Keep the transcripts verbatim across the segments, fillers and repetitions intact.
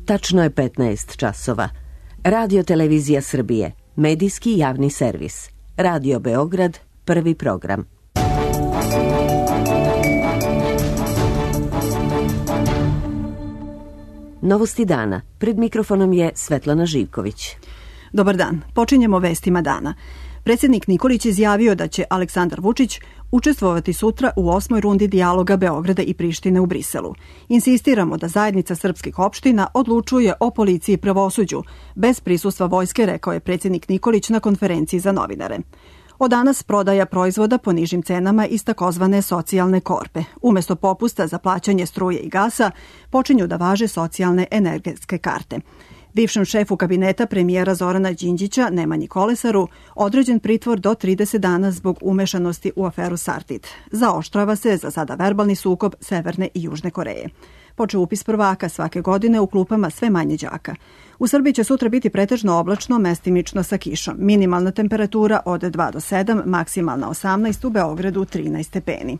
Tačno je petnaest časova. Radio Televizija Srbije, medijski javni servis. Radio Beograd, prvi program. Novosti dana. Pred mikrofonom je Svetlana Živković. Dobar dan. Počinjemo vestima dana. Predsjednik Nikolić izjavio da će Aleksandar Vučić učestvovati sutra u osmoj rundi dijaloga Beograda i Prištine u Briselu. Insistiramo da zajednica srpskih opština odlučuje o policiji i pravosuđu, bez prisustva vojske, rekao je predsjednik Nikolić na konferenciji za novinare. Od danas prodaja proizvoda po nižim cenama iz takozvane socijalne korpe. Umesto popusta za plaćanje struje i gasa, počinju da važe socijalne energetske karte. Bivšem šefu kabineta premijera Zorana Đinđića, Nemanji Kolesaru, određen pritvor do trideset dana zbog umešanosti u aferu Sartid. Zaoštrava se za sada verbalni sukob Severne i Južne Koreje. Počeo upis prvaka svake godine u klupama sve manje đaka. U Srbiji će sutra biti pretežno oblačno, mestimično sa kišom. Minimalna temperatura od dva do sedam, maksimalna osamnaest, u Beogradu trinaest stepeni.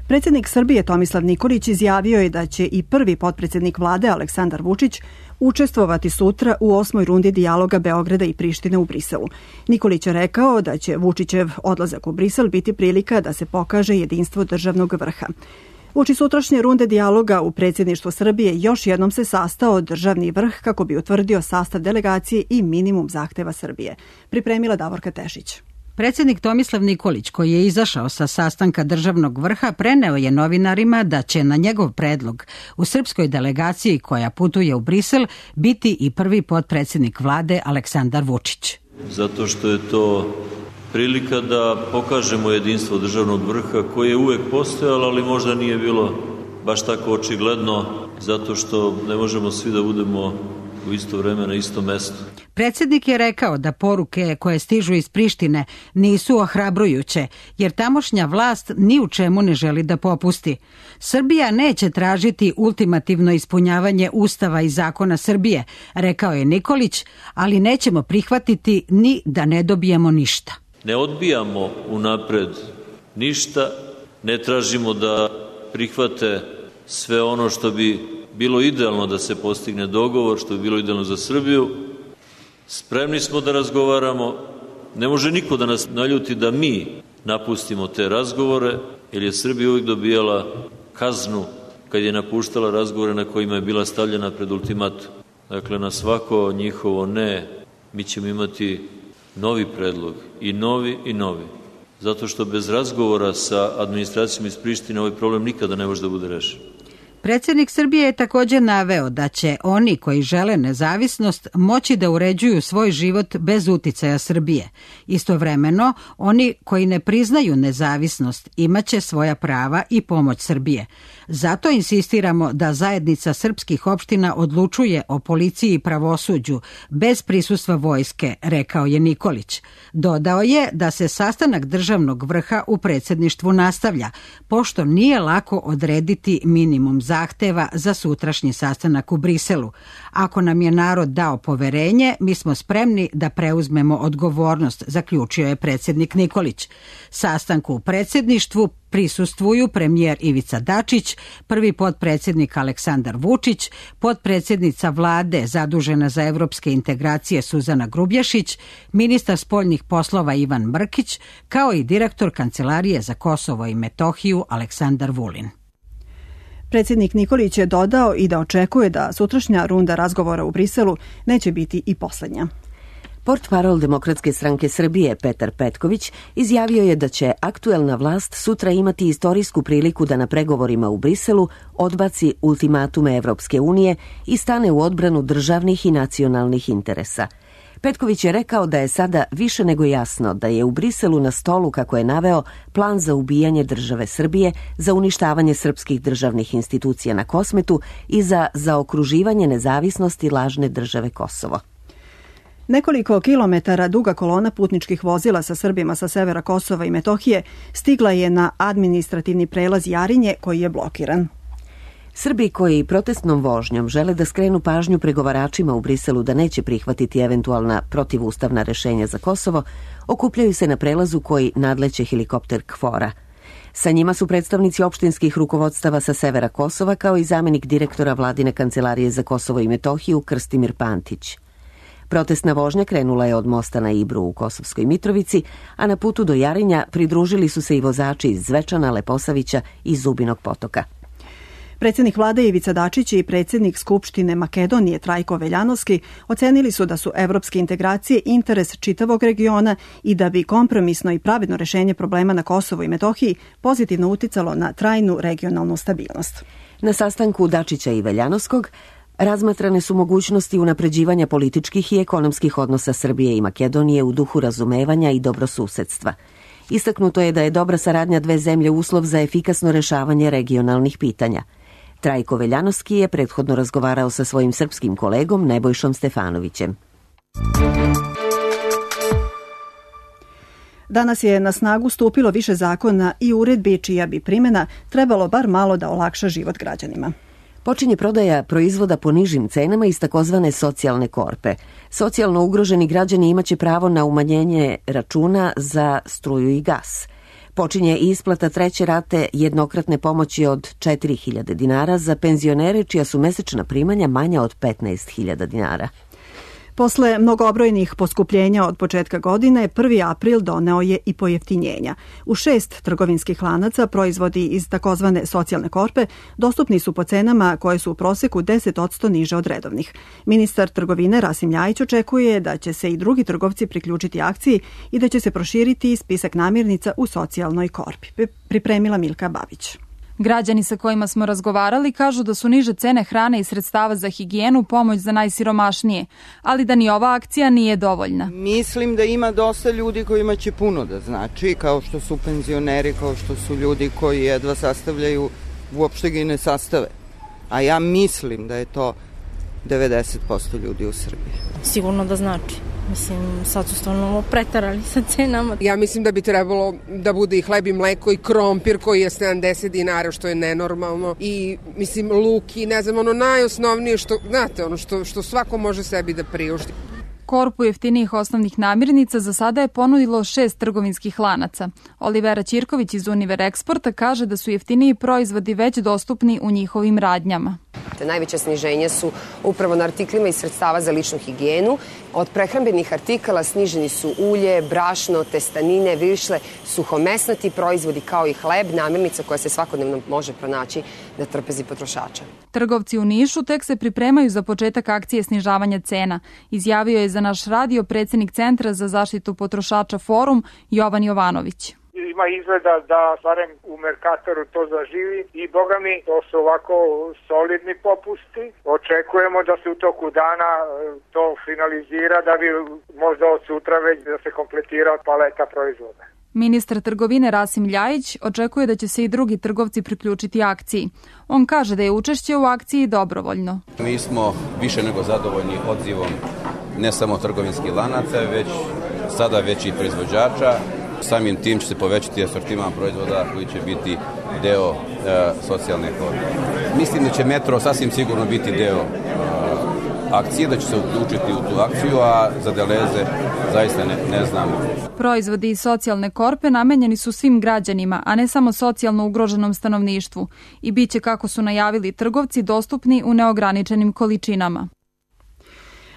Predsjednik Srbije Tomislav Nikolić izjavio je da će i prvi potpredsjednik vlade Aleksandar Vučić učestvovati sutra u osmoj rundi dijaloga Beograda i Prištine u Briselu. Nikolić je rekao da će Vučićev odlazak u Brisel biti prilika da se pokaže jedinstvo državnog vrha. Uoči sutrašnje runde dijaloga u predsjedništvu Srbije još jednom se sastao državni vrh kako bi utvrdio sastav delegacije i minimum zahteva Srbije. Pripremila Davorka Tešić. Predsjednik Tomislav Nikolić, koji je izašao sa sastanka državnog vrha, preneo je novinarima da će na njegov predlog u srpskoj delegaciji koja putuje u Brisel biti i prvi potpredsjednik vlade Aleksandar Vučić. Zato što je to prilika da pokažemo jedinstvo državnog vrha koje je uvek postojalo, ali možda nije bilo baš tako očigledno, zato što ne možemo svi da budemo u isto vreme na istom mestu. Predsjednik je rekao da poruke koje stižu iz Prištine nisu ohrabrujuće, jer tamošnja vlast ni u čemu ne želi da popusti. Srbija neće tražiti ultimativno ispunjavanje Ustava i zakona Srbije, rekao je Nikolić, ali nećemo prihvatiti ni da ne dobijemo ništa. Ne odbijamo unapred ništa, ne tražimo da prihvate sve ono što bi bilo idealno da se postigne dogovor, što bi bilo idealno za Srbiju. Spremni smo da razgovaramo. Ne može niko da nas naljuti da mi napustimo te razgovore, jer je Srbija uvijek dobijala kaznu kad je napuštala razgovore na kojima je bila stavljena pred ultimatum. Dakle, na svako njihovo ne, mi ćemo imati novi predlog, i novi i novi. Zato što bez razgovora sa administracijom iz Prištine ovaj problem nikada ne može da bude rešen. Predsjednik Srbije je također naveo da će oni koji žele nezavisnost moći da uređuju svoj život bez uticaja Srbije. Istovremeno, oni koji ne priznaju nezavisnost imaće svoja prava i pomoć Srbije. Zato insistiramo da zajednica srpskih opština odlučuje o policiji i pravosuđu bez prisustva vojske, rekao je Nikolić. Dodao je da se sastanak državnog vrha u predsjedništvu nastavlja, pošto nije lako odrediti minimum zahteva za sutrašnji sastanak u Briselu. Ako nam je narod dao poverenje, mi smo spremni da preuzmemo odgovornost, zaključio je predsjednik Nikolić. Sastanku u predsjedništvu prisustvuju premijer Ivica Dačić, prvi potpredsjednik Aleksandar Vučić, potpredsjednica vlade zadužena za evropske integracije Suzana Grubješić, ministar spoljnih poslova Ivan Mrkić, kao i direktor Kancelarije za Kosovo i Metohiju Aleksandar Vulin. Predsjednik Nikolić je dodao i da očekuje da sutrašnja runda razgovora u Briselu neće biti i posljednja. Portparol Demokratske stranke Srbije Petar Petković izjavio je da će aktuelna vlast sutra imati istorijsku priliku da na pregovorima u Briselu odbaci ultimatume Evropske unije i stane u odbranu državnih i nacionalnih interesa. Petković je rekao da je sada više nego jasno da je u Briselu na stolu, kako je naveo, plan za ubijanje države Srbije, za uništavanje srpskih državnih institucija na Kosmetu i za zaokruživanje nezavisnosti lažne države Kosovo. Nekoliko kilometara duga kolona putničkih vozila sa Srbima sa severa Kosova i Metohije stigla je na administrativni prelaz Jarinje koji je blokiran. Srbi koji protestnom vožnjom žele da skrenu pažnju pregovaračima u Briselu da neće prihvatiti eventualna protivustavna rešenja za Kosovo, okupljaju se na prelazu koji nadleće helikopter KFOR-a. Sa njima su predstavnici opštinskih rukovodstava sa severa Kosova, kao i zamenik direktora Vladine kancelarije za Kosovo i Metohiju Krstimir Pantić. Protestna vožnja krenula je od mosta na Ibru u Kosovskoj Mitrovici, a na putu do Jarinja pridružili su se i vozači iz Zvečana, Leposavića i Zubinog Potoka. Predsjednik vlade Ivica Dačić i predsjednik Skupštine Makedonije Trajko Veljanovski ocenili su da su evropske integracije interes čitavog regiona i da bi kompromisno i pravedno rešenje problema na Kosovu i Metohiji pozitivno uticalo na trajnu regionalnu stabilnost. Na sastanku Dačića i Veljanovskog razmatrane su mogućnosti unapređivanja političkih i ekonomskih odnosa Srbije i Makedonije u duhu razumevanja i dobrosusedstva. Istaknuto je da je dobra saradnja dve zemlje uslov za efikasno rešavanje regionalnih pitanja. Trajko Veljanovski je prethodno razgovarao sa svojim srpskim kolegom Nebojšom Stefanovićem. Danas je na snagu stupilo više zakona i uredbi čija bi primjena trebalo bar malo da olakša život građanima. Počinje prodaja proizvoda po nižim cenama iz takozvane socijalne korpe. Socijalno ugroženi građani imaće pravo na umanjenje računa za struju i gas. Počinje i isplata treće rate jednokratne pomoći od četiri hiljade dinara za penzionere čija su mesečna primanja manja od petnaest hiljada dinara. Posle mnogobrojnih poskupljenja od početka godine, prvi april doneo je i pojeftinjenja. U šest trgovinskih lanaca proizvodi iz takozvane socijalne korpe dostupni su po cenama koje su u proseku deset posto niže od redovnih. Ministar trgovine Rasim Ljajić očekuje da će se i drugi trgovci priključiti akciji i da će se proširiti spisak namirnica u socijalnoj korpi. Pripremila Milka Babić. Građani sa kojima smo razgovarali kažu da su niže cene hrane i sredstava za higijenu pomoć za najsiromašnije, ali da ni ova akcija nije dovoljna. Mislim da ima dosta ljudi kojima će puno da znači, kao što su penzioneri, kao što su ljudi koji jedva sastavljaju, uopšte ga i ne sastave. A ja mislim da je to devedeset posto ljudi u Srbiji. Sigurno da znači. Mislim, sad su stvarno pretarali sa cenama. Ja mislim da bi trebalo da bude i hleb i mleko i krompir koji je sedamdeset dinara, što je nenormalno. I, mislim, luk i ne znam, ono najosnovnije što, znate, ono što, što svako može sebi da priušti. Korpu jeftinijih osnovnih namirnica za sada je ponudilo šest trgovinskih lanaca. Olivera Ćirković iz Univer Eksporta kaže da su jeftiniji proizvodi već dostupni u njihovim radnjama. Te najveća sniženja su upravo na artiklima i sredstava za ličnu higijenu. Od prehrambenih artikala sniženi su ulje, brašno, testanine, višle, suhomesnati proizvodi kao i hleb, namirnica koja se svakodnevno može pronaći na trpezi potrošača. Trgovci u Nišu tek se pripremaju za početak akcije snižavanja cena. Izjavio je za naš radio predsjednik Centra za zaštitu potrošača Forum Jovan Jovanović. Ima izgleda da barem u Merkatoru to zaživi i boga mi to su ovako solidni popusti. Očekujemo da se u toku dana to finalizira da bi možda od sutra već da se kompletira paleta proizvoda. Ministar trgovine Rasim Ljajić očekuje da će se i drugi trgovci priključiti akciji. On kaže da je učešće u akciji dobrovoljno. Mi smo više nego zadovoljni odzivom ne samo trgovinskih lanaca, već sada već i proizvođača. Samim tim će se povećati asortiman proizvoda koji će biti deo e, socijalne korpe. Mislim da će metro sasvim sigurno biti deo e, akcije, da će se uključiti u tu akciju, a za Deleze zaista ne, ne znam. Proizvodi iz socijalne korpe namenjeni su svim građanima, a ne samo socijalno ugroženom stanovništvu i bit će, kako su najavili trgovci, dostupni u neograničenim količinama.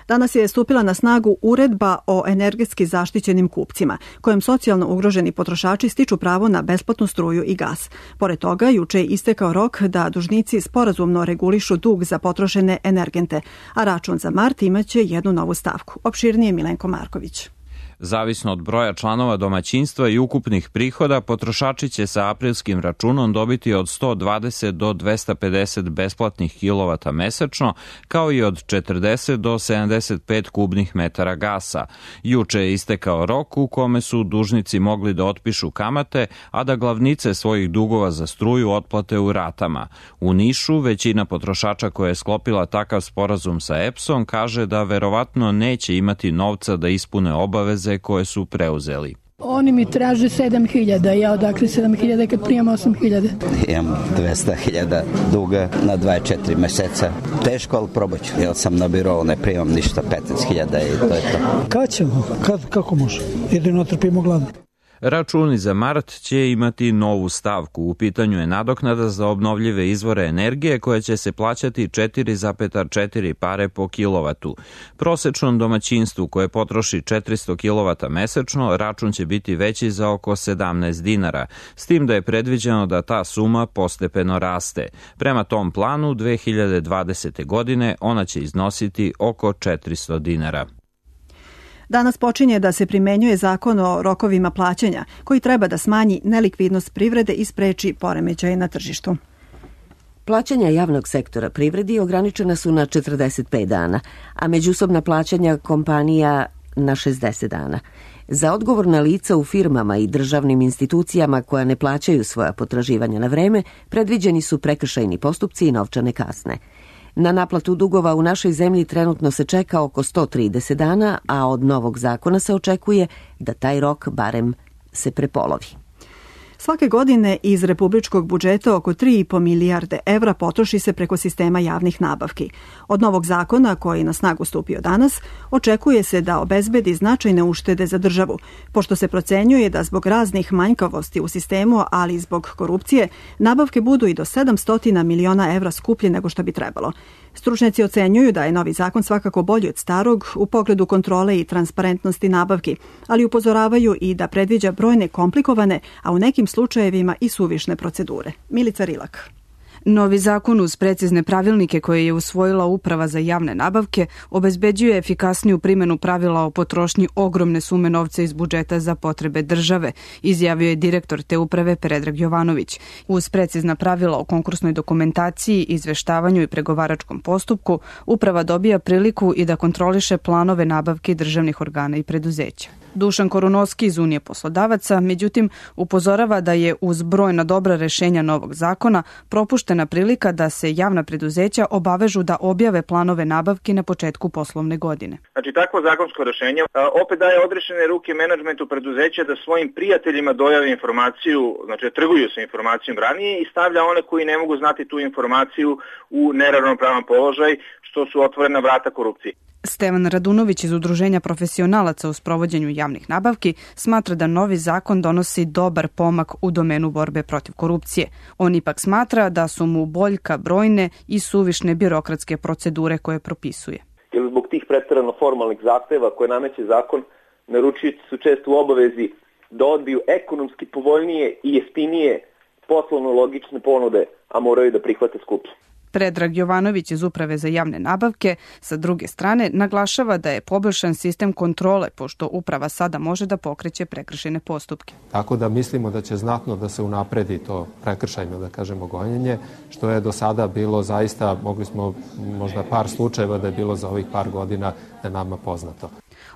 Danas je stupila na snagu uredba o energetski zaštićenim kupcima, kojom socijalno ugroženi potrošači stiču pravo na besplatnu struju i gas. Pored toga, juče je istekao rok da dužnici sporazumno regulišu dug za potrošene energente, a račun za mart imaće jednu novu stavku. Opširnije Milenko Marković. Zavisno od broja članova domaćinstva i ukupnih prihoda, potrošači će sa aprilskim računom dobiti od sto dvadeset do dvesta pedeset besplatnih kilovata mesečno, kao i od četrdeset do sedamdeset pet kubnih metara gasa. Juče je istekao rok u kome su dužnici mogli da otpišu kamate, a da glavnice svojih dugova za struju otplate u ratama. U Nišu većina potrošača koja je sklopila takav sporazum sa E P S-om kaže da verovatno neće imati novca da ispune obaveze koje su preuzeli. Oni mi traže sedam hiljada, ja odakle sedam hiljada kad primam osam hiljada. Imam dvesta hiljada duga na dvadeset četiri meseca. Teško, ali probat ću. Ja sam na birovu, ne primam ništa, petnaest hiljada i to je to. Kad ćemo? Kad, kako može? Jedino trpimo gladno. Računi za mart će imati novu stavku. U pitanju je nadoknada za obnovljive izvore energije koja će se plaćati četiri zarez četiri pare po kilovatu. Prosečnom domaćinstvu koje potroši četiristo kilovata mesečno račun će biti veći za oko sedamnaest dinara, s tim da je predviđeno da ta suma postepeno raste. Prema tom planu dve hiljade dvadesete. godine ona će iznositi oko četiristo dinara. Danas počinje da se primenjuje zakon o rokovima plaćanja, koji treba da smanji nelikvidnost privrede i spreči poremećaje na tržištu. Plaćanja javnog sektora privredi ograničena su na četrdeset pet dana, a međusobna plaćanja kompanija na šezdeset dana. Za odgovorna lica u firmama i državnim institucijama koja ne plaćaju svoja potraživanja na vreme, predviđeni su prekršajni postupci i novčane kazne. Na naplatu dugova u našoj zemlji trenutno se čeka oko sto trideset dana, a od novog zakona se očekuje da taj rok barem se prepolovi. Svake godine iz republičkog budžeta oko tri i po milijarde evra potroši se preko sistema javnih nabavki. Od novog zakona, koji je na snagu stupio danas, očekuje se da obezbedi značajne uštede za državu, pošto se procenjuje da zbog raznih manjkavosti u sistemu, ali i zbog korupcije, nabavke budu i do sedamsto miliona evra skuplje nego što bi trebalo. Stručnjaci ocenjuju da je novi zakon svakako bolji od starog u pogledu kontrole i transparentnosti nabavki, ali upozoravaju i da predviđa brojne komplikovane, a u nekim slučajevima i suvišne procedure. Milica Rilak. Novi zakon uz precizne pravilnike koje je usvojila Uprava za javne nabavke obezbeđuje efikasniju primjenu pravila o potrošnji ogromne sume novca iz budžeta za potrebe države, izjavio je direktor te uprave Predrag Jovanović. Uz precizna pravila o konkursnoj dokumentaciji, izveštavanju i pregovaračkom postupku, Uprava dobija priliku i da kontroliše planove nabavke državnih organa i preduzeća. Dušan Korunovski iz Unije poslodavaca, međutim, upozorava da je uz brojna dobra rešenja novog zakona propuštena prilika da se javna preduzeća obavežu da objave planove nabavki na početku poslovne godine. Znači, takvo zakonsko rešenje opet daje odrešene ruke menadžmentu preduzeća da svojim prijateljima dojave informaciju, znači trguju sa informacijom ranije i stavlja one koji ne mogu znati tu informaciju u neravnopravan položaj, što su otvorena vrata korupcije. Stevan Radunović iz Udruženja profesionalaca u sprovođenju javnih nabavki smatra da novi zakon donosi dobar pomak u domenu borbe protiv korupcije. On ipak smatra da su mu boljka brojne i suvišne birokratske procedure koje propisuje. Jer zbog tih preterano formalnih zahteva koje nameće zakon, naručioci su često u obavezi da odbiju ekonomski povoljnije i jeftinije poslovno logične ponude, a moraju da prihvate skuplje. Predrag Jovanović iz Uprave za javne nabavke sa druge strane naglašava da je poboljšan sistem kontrole, pošto uprava sada može da pokreće prekršajne postupke. Tako da mislimo da će znatno da se unapredi to prekršajno, da kažemo, gonjenje, što je do sada bilo zaista, mogli smo možda par slučajeva da je bilo za ovih par godina da nama poznato.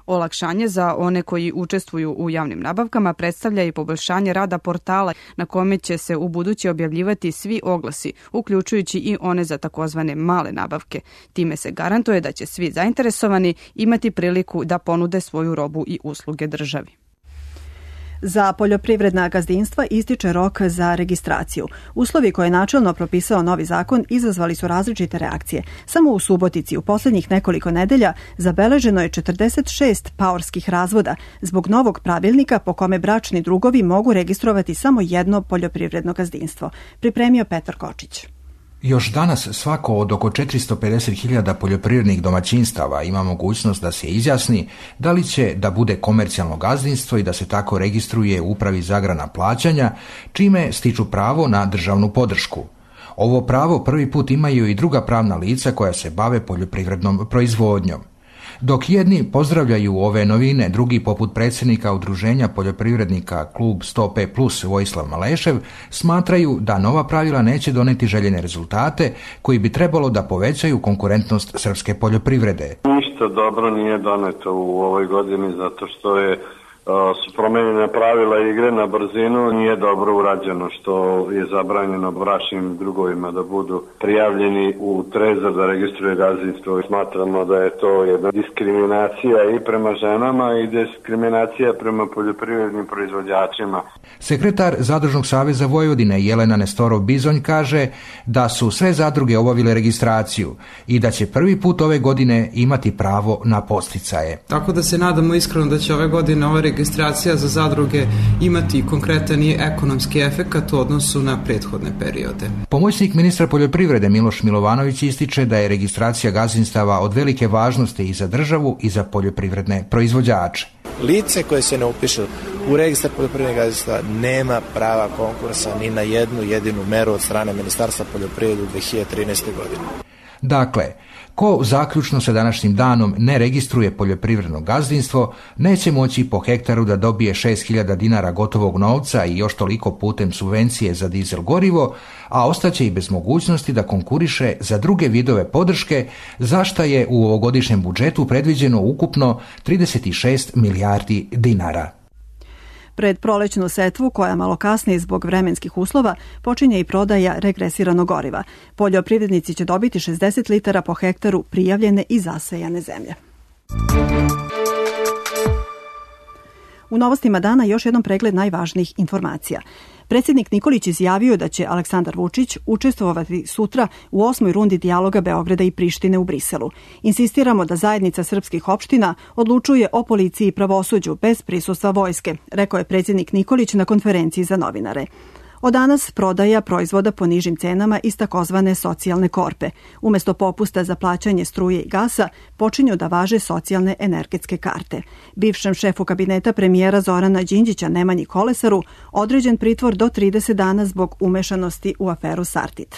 Olakšanje za one koji učestvuju u javnim nabavkama predstavlja i poboljšanje rada portala na kome će se u buduće objavljivati svi oglasi, uključujući i one za takozvane male nabavke. Time se garantuje da će svi zainteresovani imati priliku da ponude svoju robu i usluge državi. Za poljoprivredna gazdinstva ističe rok za registraciju. Uslovi koje je načelno propisao novi zakon izazvali su različite reakcije. Samo u Subotici u posljednjih nekoliko nedelja zabeleženo je četrdeset šest paorskih razvoda zbog novog pravilnika po kome bračni drugovi mogu registrovati samo jedno poljoprivredno gazdinstvo. Pripremio Petar Kočić. Još danas svako od oko četiristo pedeset hiljada poljoprivrednih domaćinstava ima mogućnost da se izjasni da li će da bude komercijalno gazdinstvo i da se tako registruje u Upravi za agrarna plaćanja, čime stiču pravo na državnu podršku. Ovo pravo prvi put imaju i druga pravna lica koja se bave poljoprivrednom proizvodnjom. Dok jedni pozdravljaju ove novine, drugi poput predsjednika Udruženja poljoprivrednika Klub sto pet plus Vojislav Malešev smatraju da nova pravila neće doneti željene rezultate koji bi trebalo da povećaju konkurentnost srpske poljoprivrede. Ništa dobro nije doneto u ovoj godini zato što je su promenjene pravila igre na brzinu, nije dobro urađeno što je zabranjeno bračnim drugovima da budu prijavljeni u trezor da registruje gazdinstvo. Smatramo da je to jedna diskriminacija i prema ženama i diskriminacija prema poljoprivrednim proizvođačima. Sekretar Zadružnog saveza Vojvodine Jelena Nestorov-Bizonj kaže da su sve zadruge obavile registraciju i da će prvi put ove godine imati pravo na podsticaje. Tako da se nadamo iskreno da će ove godine ove registracija za zadruge imati konkretan i ekonomski efekat u odnosu na prethodne periode. Pomoćnik ministra poljoprivrede Miloš Milovanović ističe da je registracija gazdinstava od velike važnosti i za državu i za poljoprivredne proizvođače. Lice koje se ne upiše u registar poljoprivrednih gazdinstava nema prava konkursa ni na jednu jedinu meru od strane Ministarstva poljoprivrede u dve hiljade trinaeste. godine. Dakle, ko zaključno sa današnjim danom ne registruje poljoprivredno gazdinstvo, neće moći po hektaru da dobije šest hiljada dinara gotovog novca i još toliko putem subvencije za dizel gorivo, a ostaće i bez mogućnosti da konkuriše za druge vidove podrške, za šta je u ovogodišnjem budžetu predviđeno ukupno trideset šest milijardi dinara. Pred prolećnu setvu, koja malo kasnije zbog vremenskih uslova, počinje i prodaja regresiranog goriva. Poljoprivrednici će dobiti šezdeset litara po hektaru prijavljene i zasejane zemlje. U novostima dana još jednom pregled najvažnijih informacija. Predsjednik Nikolić izjavio da će Aleksandar Vučić učestvovati sutra u osmoj rundi dijaloga Beograda i Prištine u Briselu. Insistiramo da zajednica srpskih opština odlučuje o policiji i pravosuđu bez prisustva vojske, rekao je predsjednik Nikolić na konferenciji za novinare. Od danas prodaja proizvoda po nižim cenama iz takozvane socijalne korpe. Umesto popusta za plaćanje struje i gasa, počinju da važe socijalne energetske karte. Bivšem šefu kabineta premijera Zorana Đinđića Nemanji Kolesaru određen pritvor do trideset dana zbog umešanosti u aferu Sartid.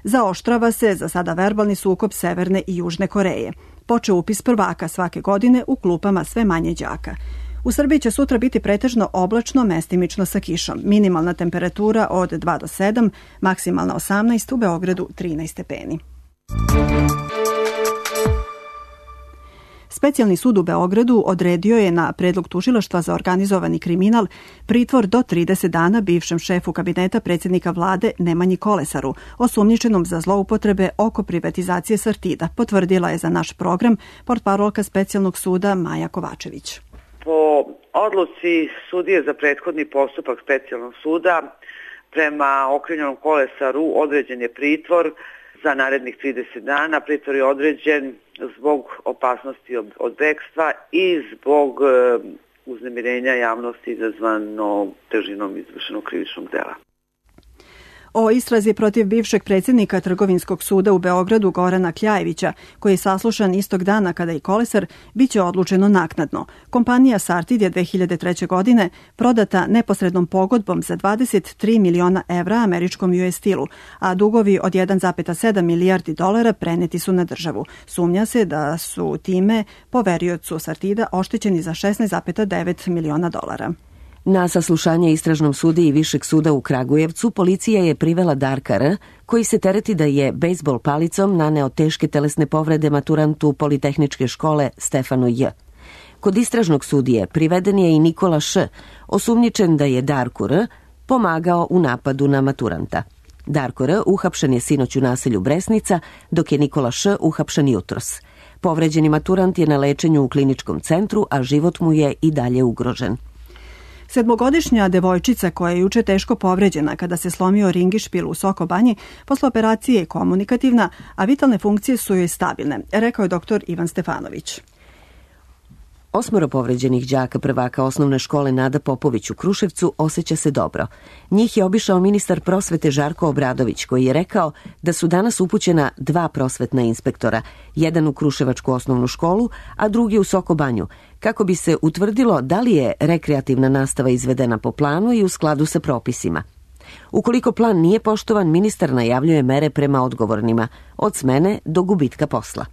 Zaoštrava se za sada verbalni sukob Severne i Južne Koreje. Počeo upis prvaka svake godine u klupama sve manje đaka. U Srbiji će sutra biti pretežno oblačno, mestimično sa kišom. Minimalna temperatura od dva do sedam, maksimalna osamnaest, u Beogradu trinaest stepeni. Specijalni sud u Beogradu odredio je na predlog tužilaštva za organizovani kriminal pritvor do trideset dana bivšem šefu kabineta predsjednika vlade Nemanji Kolesaru, osumnjičenom za zloupotrebe oko privatizacije Sartida, potvrdila je za naš program portparolka Specijalnog suda Maja Kovačević. Po odluci sudije za prethodni postupak Specijalnog suda prema okrivljenom Kolesaru određen je pritvor za narednih trideset dana. Pritvor je određen zbog opasnosti od bekstva i zbog uznemirenja javnosti izazvano težinom izvršenog krivičnog dela. O istrazi protiv bivšeg predsjednika Trgovinskog suda u Beogradu Gorana Kljajevića, koji je saslušan istog dana kada i Kolesar, bit će odlučeno naknadno. Kompanija Sartid je dve hiljade treće. godine prodata neposrednom pogodbom za dvadeset tri miliona evra američkom U S Steel-u, a dugovi od jedan zarez sedam milijardi dolara preneti su na državu. Sumnja se da su time poveriocu Sartida oštećeni za šesnaest zarez devet miliona dolara. Na saslušanje istražnom sudi i Višeg suda u Kragujevcu policija je privela Darka R., koji se tereti da je bejsbol palicom naneo teške telesne povrede maturantu Politehničke škole Stefanu J. Kod istražnog sudije priveden je i Nikola Š., osumnjičen da je Darku R. pomagao u napadu na maturanta. Darko R. uhapšen je sinoć u naselju Bresnica, dok je Nikola Š. uhapšen jutros. Povređeni maturant je na lečenju u kliničkom centru, a život mu je i dalje ugrožen. Sedmogodišnja devojčica koja je juče teško povređena kada se slomio ringišpil u Soko Banji, posle operacije je komunikativna, a vitalne funkcije su joj stabilne, rekao je doktor Ivan Stefanović. Osmoro povređenih đaka prvaka osnovne škole Nada Popović u Kruševcu osjeća se dobro. Njih je obišao ministar prosvete Žarko Obradović, koji je rekao da su danas upućena dva prosvetna inspektora, jedan u Kruševačku osnovnu školu, a drugi u Soko Banju, kako bi se utvrdilo da li je rekreativna nastava izvedena po planu i u skladu sa propisima. Ukoliko plan nije poštovan, ministar najavljuje mere prema odgovornima, od smene do gubitka posla.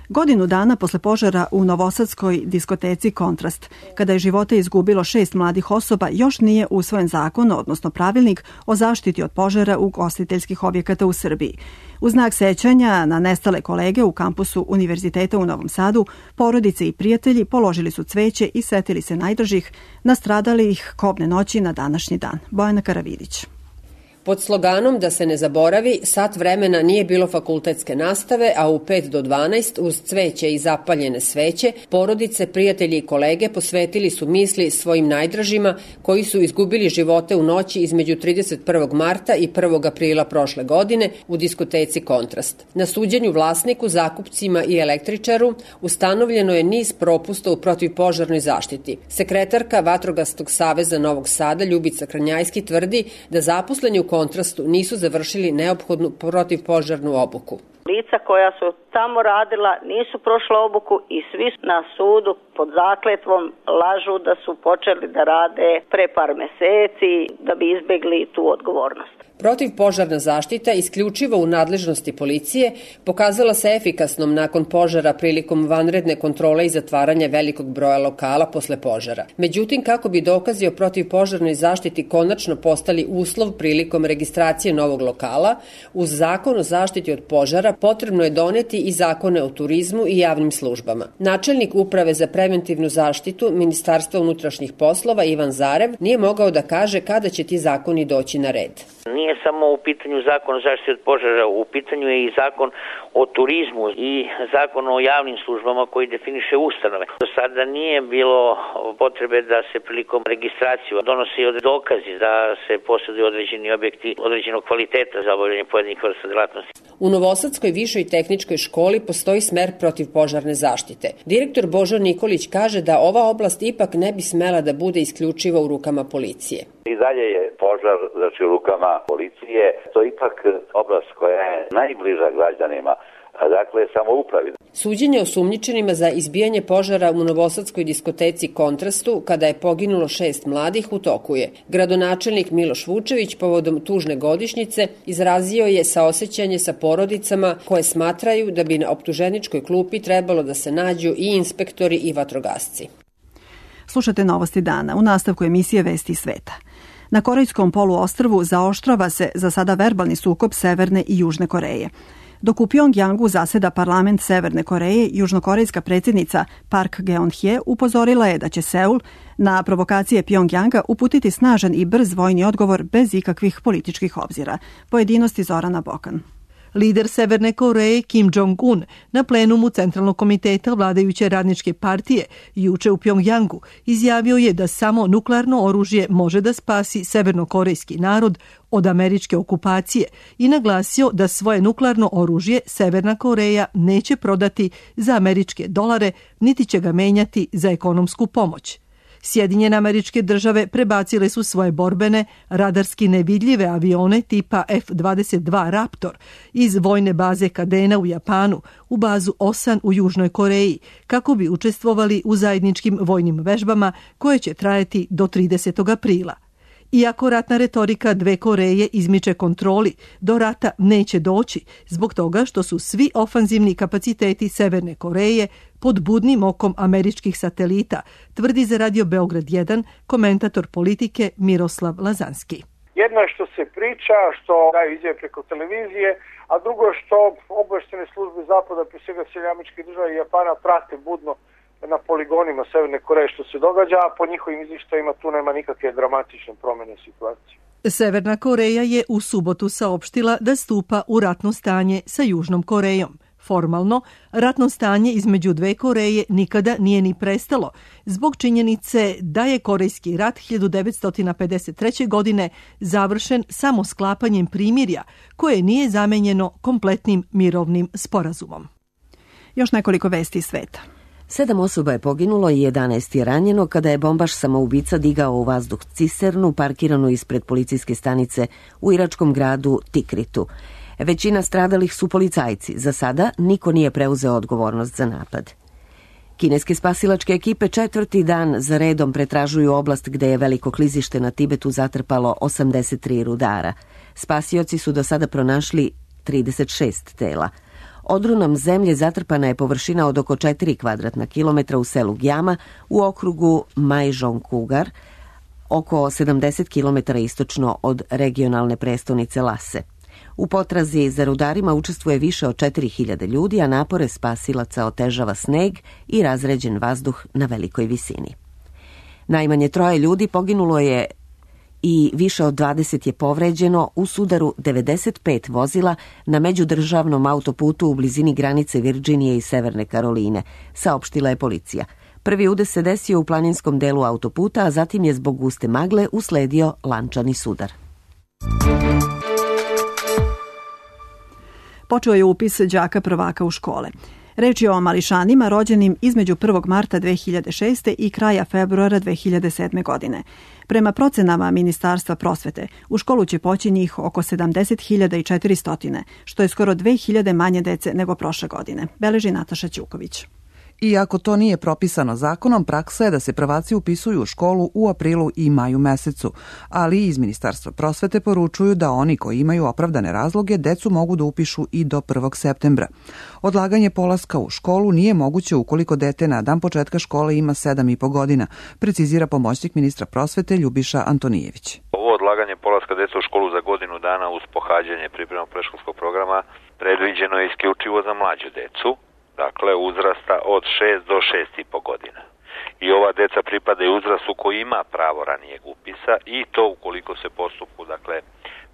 Godinu dana posle požara u novosadskoj diskoteci Kontrast, kada je živote izgubilo šest mladih osoba, još nije usvojen zakon, odnosno pravilnik o zaštiti od požara ugostiteljskih objekata u Srbiji. U znak sećanja na nestale kolege u kampusu Univerziteta u Novom Sadu, porodice i prijatelji položili su cveće i setili se najdražih nastradalih kobne noći na današnji dan. Bojana Karavidić. Pod sloganom da se ne zaboravi, sat vremena nije bilo fakultetske nastave, a u pet do dvanaest uz cveće i zapaljene sveće, porodice, prijatelji i kolege posvetili su misli svojim najdražima koji su izgubili živote u noći između trideset prvog marta i prvog aprila prošle godine u diskoteci Kontrast. Na suđenju vlasniku, zakupcima i električaru ustanovljeno je niz propusta u protivpožarnoj zaštiti. Sekretarka Vatrogasnog saveza Novog Sada Ljubica Kranjajski tvrdi da zaposleni u Kontrastu nisu završili neophodnu protivpožarnu obuku. Lica koja su tamo radila nisu prošla obuku i svi na sudu pod zakletvom lažu da su počeli da rade pre par meseci da bi izbegli tu odgovornost. Protivpožarna zaštita, isključivo u nadležnosti policije, pokazala se efikasnom nakon požara prilikom vanredne kontrole i zatvaranja velikog broja lokala posle požara. Međutim, kako bi dokazi o protivpožarnoj zaštiti konačno postali uslov prilikom registracije novog lokala, uz zakon o zaštiti od požara potrebno je doneti i zakone o turizmu i javnim službama. Načelnik Uprave za preventivnu zaštitu Ministarstva unutrašnjih poslova Ivan Zarev nije mogao da kaže kada će ti zakoni doći na red. Nije samo u pitanju zakon o zaštiti od požara, u pitanju je i zakon o turizmu i zakon o javnim službama koji definiše ustanove. Do sada nije bilo potrebe da se prilikom registracije donosi dokazi da se posjeduju određeni objekti određenog kvaliteta za obavljanje pojedinih vrsta delatnosti. U Novosadskoj višoj tehničkoj školi postoji smer protivpožarne zaštite. Direktor Božo Nikolić kaže da ova oblast ipak ne bi smela da bude isključiva u rukama policije. I dalje je požar, znači u rukama policije, to je ipak oblast koja je najbliža građanima, dakle samoupravi. Suđenje osumnjičenima za izbijanje požara u novosadskoj diskoteci Kontrastu, kada je poginulo šest mladih, u toku je. Gradonačelnik Miloš Vučević povodom tužne godišnjice izrazio je saosećanje sa porodicama koje smatraju da bi na optuženičkoj klupi trebalo da se nađu i inspektori i vatrogasci. Slušate Novosti dana u nastavku emisije Vesti sveta. Na Korejskom poluostrvu zaoštrava se za sada verbalni sukob Severne i Južne Koreje. Dok u Pjongjangu zaseda parlament Severne Koreje, južnokorejska predsjednica Park Geun-hye upozorila je da će Seul na provokacije Pjongjanga uputiti snažan i brz vojni odgovor bez ikakvih političkih obzira. Pojedinosti Zorana Bokan. Lider Severne Koreje Kim Jong-un na plenumu Centralnog komiteta vladajuće radničke partije juče u Pjongjangu izjavio je da samo nuklearno oružje može da spasi severnokorejski narod od američke okupacije i naglasio da svoje nuklearno oružje Severna Koreja neće prodati za američke dolare niti će ga menjati za ekonomsku pomoć. Sjedinjene Američke Države prebacile su svoje borbene, radarski nevidljive avione tipa F dvadeset dva Raptor iz vojne baze Kadena u Japanu u bazu Osan u Južnoj Koreji kako bi učestvovali u zajedničkim vojnim vežbama koje će trajati do tridesetog aprila. Iako ratna retorika dve Koreje izmiče kontroli, do rata neće doći zbog toga što su svi ofanzivni kapaciteti Severne Koreje pod budnim okom američkih satelita, tvrdi za Radio Beograd jedan komentator politike Miroslav Lazanski. Jedno je što se priča, što daju izjave preko televizije, a drugo je što obavještajne službe Zapada, pre svega Sjedinjenih Američkih Država i Japana, prate budno na poligonima Severne Koreje što se događa, a po njihovim izvještajima tu nema nikakve dramatične promjene situacije. Severna Koreja je u subotu saopštila da stupa u ratno stanje sa Južnom Korejom. Formalno, ratno stanje između dve Koreje nikada nije ni prestalo, zbog činjenice da je Korejski rat hiljadu devetsto pedeset treće. godine završen samo sklapanjem primirja, koje nije zamenjeno kompletnim mirovnim sporazumom. Još nekoliko vesti iz sveta. Sedam osoba je poginulo i jedanaest je ranjeno kada je bombaš samoubica digao u vazduh cisternu parkiranu ispred policijske stanice u iračkom gradu Tikritu. Većina stradalih su policajci. Za sada niko nije preuzeo odgovornost za napad. Kineske spasilačke ekipe četvrti dan za redom pretražuju oblast gde je veliko klizište na Tibetu zatrpalo osamdeset tri rudara. Spasioci su do sada pronašli trideset šest tela. Odrunom zemlje zatrpana je površina od oko četiri kvadratna kilometra u selu Gjama u okrugu Majžongkugar, oko sedamdeset kilometara istočno od regionalne prestonice Lase. U potrazi za rudarima učestvuje više od četiri hiljade ljudi, a napore spasilaca otežava sneg i razređen vazduh na velikoj visini. Najmanje troje ljudi poginulo je i više od dvadeset je povređeno u sudaru devedeset pet vozila na međudržavnom autoputu u blizini granice Virđinije i Severne Karoline, saopštila je policija. Prvi udes se desio u planinskom delu autoputa, a zatim je zbog guste magle usledio lančani sudar. Počeo je upis đaka prvaka u škole. Reč je o mališanima rođenim između prvog marta dve hiljade šeste. i kraja februara dve hiljade sedme. godine. Prema procenama Ministarstva prosvete, u školu će poći njih oko sedamdeset hiljada četiristo, što je skoro dve hiljade manje dece nego prošle godine, beleži Nataša Ćuković. Iako to nije propisano zakonom, praksa je da se prvaci upisuju u školu u aprilu i maju mesecu, ali iz Ministarstva prosvete poručuju da oni koji imaju opravdane razloge decu mogu da upišu i do prvog septembra. Odlaganje polaska u školu nije moguće ukoliko dete na dan početka škole ima sedam i po godina, precizira pomoćnik ministra prosvete Ljubiša Antonijević. Ovo odlaganje polaska deca u školu za godinu dana uz pohađanje pripremnog predškolskog programa predviđeno je isključivo za mlađu decu, dakle uzrasta od šest do šest i po godina. I ova deca pripadaju uzrastu koji ima pravo ranijeg upisa i to ukoliko se postupku, dakle,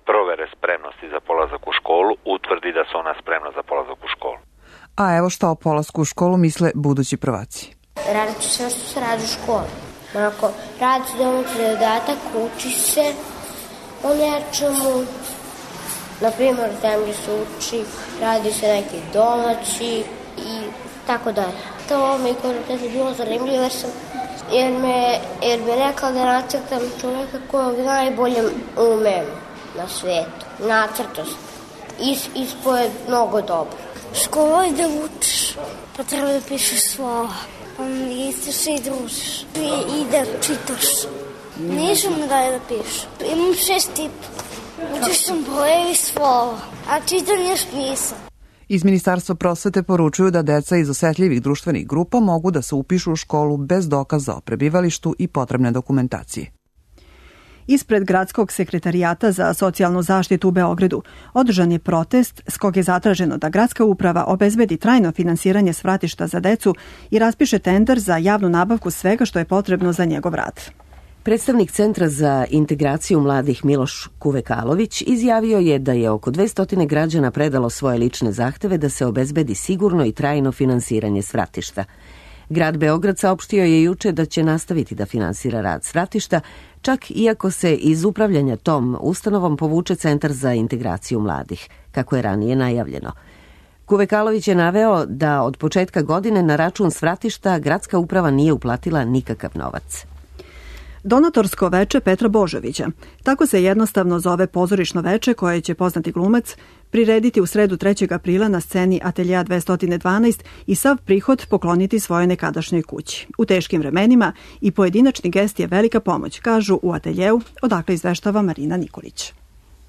provere spremnosti za polazak u školu utvrdi da se ona spremna za polazak u školu. A evo šta o polasku u školu misle budući prvaci. Radit ću sve što se radi u školi. Onako, radi se domaći zadatak, uči se o nečemu. Na primjer, tam gdje se uči, radi se neki domaći i tako dalje. To mi kod je bilo zanimljivo jer, sam, jer, me, jer me rekla da nacrtam čovjeka kojeg najbolje umem na svijetu. Nacrto sam. Is, ispo je mnogo dobro. Škola je da učiš, pa treba da pišeš slova. Isto se i družiš. I, i da čitaš. Nisam da je da pišeš. Imam šest tipa. Učiš sam brojevi slova, a čitam još nisam. Iz Ministarstva prosvete poručuju da deca iz osetljivih društvenih grupa mogu da se upišu u školu bez dokaza o prebivalištu i potrebne dokumentacije. Ispred Gradskog sekretarijata za socijalnu zaštitu u Beogradu održan je protest s kog je zatraženo da gradska uprava obezbedi trajno finansiranje svratišta za decu i raspiše tender za javnu nabavku svega što je potrebno za njegov rad. Predstavnik Centra za integraciju mladih Miloš Kuvekalović izjavio je da je oko dvesta građana predalo svoje lične zahteve da se obezbedi sigurno i trajno finansiranje svratišta. Grad Beograd saopštio je juče da će nastaviti da finansira rad svratišta, čak iako se iz upravljanja tom ustanovom povuče Centar za integraciju mladih, kako je ranije najavljeno. Kuvekalović je naveo da od početka godine na račun svratišta gradska uprava nije uplatila nikakav novac. Donatorsko veče Petra Božovića. Tako se jednostavno zove pozorišno veče koje će poznati glumac prirediti u sredu trećeg aprila na sceni Ateljea dvesta dvanaest i sav prihod pokloniti svojoj nekadašnjoj kući. U teškim vremenima i pojedinačni gest je velika pomoć, kažu u Ateljeu, odakle izveštava Marina Nikolić.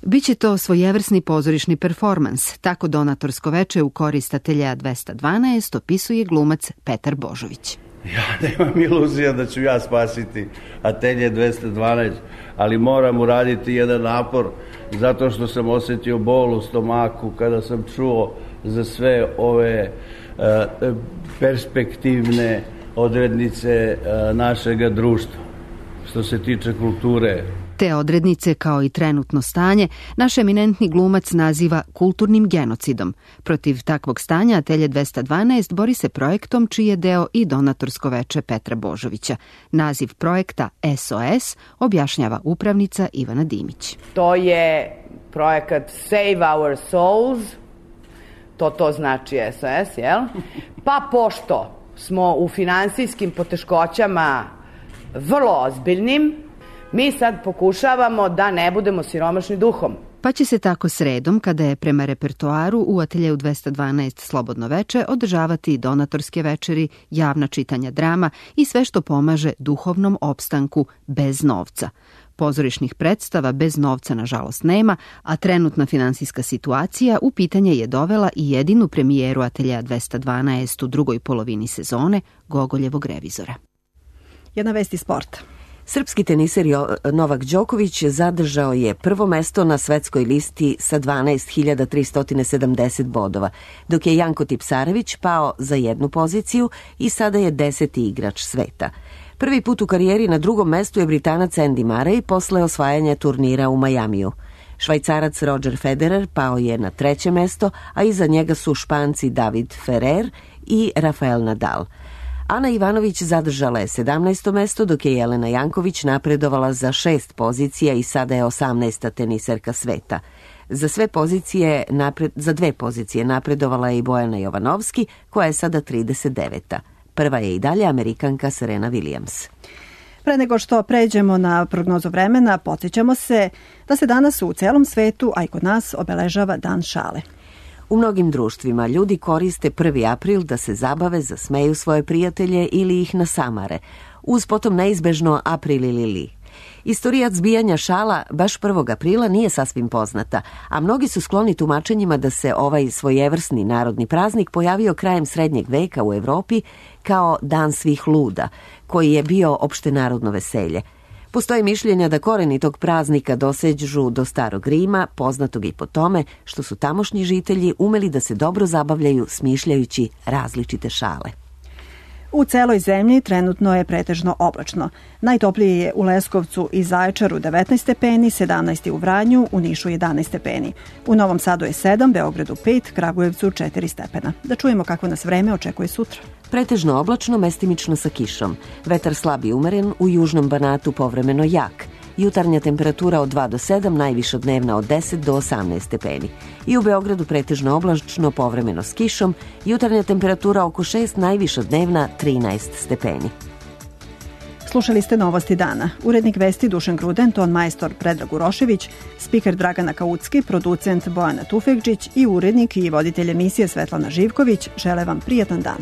Biće to svojevrsni pozorišni performans, tako donatorsko veče u korist Ateljea dvesta dvanaest opisuje glumac Petar Božović. Ja nemam iluzija da ću ja spasiti Atelje dvesta dvanaest, ali moram uraditi jedan napor zato što sam osjetio bol u stomaku kada sam čuo za sve ove uh, perspektivne odrednice uh, našega društva što se tiče kulture. Te odrednice, kao i trenutno stanje, naš eminentni glumac naziva kulturnim genocidom. Protiv takvog stanja Atelje dvesta dvanaest bori se projektom čiji je deo i donatorsko veče Petra Božovića. Naziv projekta S O S objašnjava upravnica Ivana Dimić. To je projekat Save Our Souls, to to znači S O S, jel? Pa pošto smo u finansijskim poteškoćama vrlo ozbiljnim, mi sad pokušavamo da ne budemo siromašni duhom. Pa će se tako sredom, kada je prema repertoaru u Ateljeu dvesta dvanaest Slobodno veče, održavati donatorske večeri, javna čitanja drama i sve što pomaže duhovnom opstanku bez novca. Pozorišnih predstava bez novca nažalost nema, a trenutna finansijska situacija u pitanje je dovela i jedinu premijeru Ateljea dvesta dvanaest u drugoj polovini sezone, Gogoljevog revizora. Jedna vest iz sporta. Srpski teniser Novak Đoković zadržao je prvo mesto na svetskoj listi sa dvanaest hiljada tristo sedamdeset bodova, dok je Janko Tipsarević pao za jednu poziciju i sada je deseti igrač sveta. Prvi put u karijeri na drugom mestu je Britanac Andy Murray posle osvajanja turnira u Majamiju. Švajcarac Roger Federer pao je na treće mesto, a iza njega su Španci David Ferrer i Rafael Nadal. Ana Ivanović zadržala je sedamnaesto mesto, dok je Jelena Janković napredovala za šest pozicija i sada je osamnaesta teniserka sveta. Za sve pozicije napred, za dve pozicije napredovala je i Bojana Jovanovski, koja je sada trideset deveta. Prva je i dalje Amerikanka Serena Williams. Pre nego što pređemo na prognozu vremena, podsjećamo se da se danas u celom svetu, a i kod nas, obeležava Dan šale. U mnogim društvima ljudi koriste prvi april da se zabave, zasmeju svoje prijatelje ili ih nasamare, uz potom neizbežno april ili li. Istorijat zbijanja šala baš prvog aprila nije sasvim poznata, a mnogi su skloni tumačenjima da se ovaj svojevrsni narodni praznik pojavio krajem srednjeg veka u Evropi kao Dan svih luda, koji je bio opštenarodno veselje. Postoje mišljenja da koreni tog praznika dosežu do Starog Rima, poznatog i po tome što su tamošnji žitelji umeli da se dobro zabavljaju smišljajući različite šale. U celoj zemlji trenutno je pretežno oblačno. Najtoplije je u Leskovcu i Zaječaru devetnaest stepeni, sedamnaest u Vranju, u Nišu jedanaest stepeni. U Novom Sadu je sedam, Beogradu pet, Kragujevcu četiri stepena. Da čujemo kako nas vreme očekuje sutra. Pretežno oblačno, mestimično sa kišom. Vetar slab i umeren, u južnom Banatu povremeno jak. Jutarnja temperatura od dva do sedam, najviša dnevna od deset do osamnaest stepeni. I u Beogradu pretežno oblačno, povremeno s kišom, jutarnja temperatura oko šest, najviša dnevna trinaest stepeni. Slušali ste Novosti dana. Urednik vesti Dušan Gruden, ton majstor Predrag Urošević, spiker Dragana Kaucki, producent Bojana Tufekđić i urednik i voditelj emisije Svetlana Živković žele vam prijatan dan.